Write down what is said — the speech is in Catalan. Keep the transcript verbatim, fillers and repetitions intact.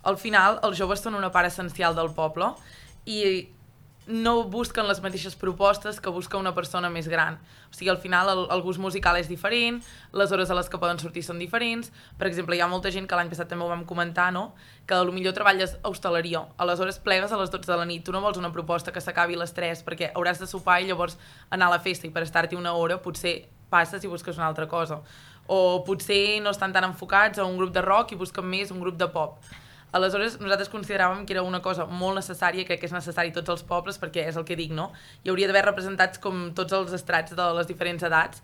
al final els joves són una part essencial del poble i no busquen les mateixes propostes que busca una persona més gran. O sigui, al final el, el gust musical és diferent, les hores a les que poden sortir són diferents. Per exemple, hi ha molta gent que l'any passat també ho vam comentar, no? Que potser treballes a hostaleria, aleshores plegues a les dotze de la nit, tu no vols una proposta que s'acabi a les tres perquè hauràs de sopar i llavors anar a la festa i per estar-t'hi una hora potser passes i busques una altra cosa. O potser no estan tan enfocats a un grup de rock i busquen més un grup de pop. Aleshores, nosaltres consideràvem que era una cosa molt necessària, crec que és necessari tots els pobles, perquè és el que dic, no? Hi hauria d'haver representats com tots els estrats de les diferents edats,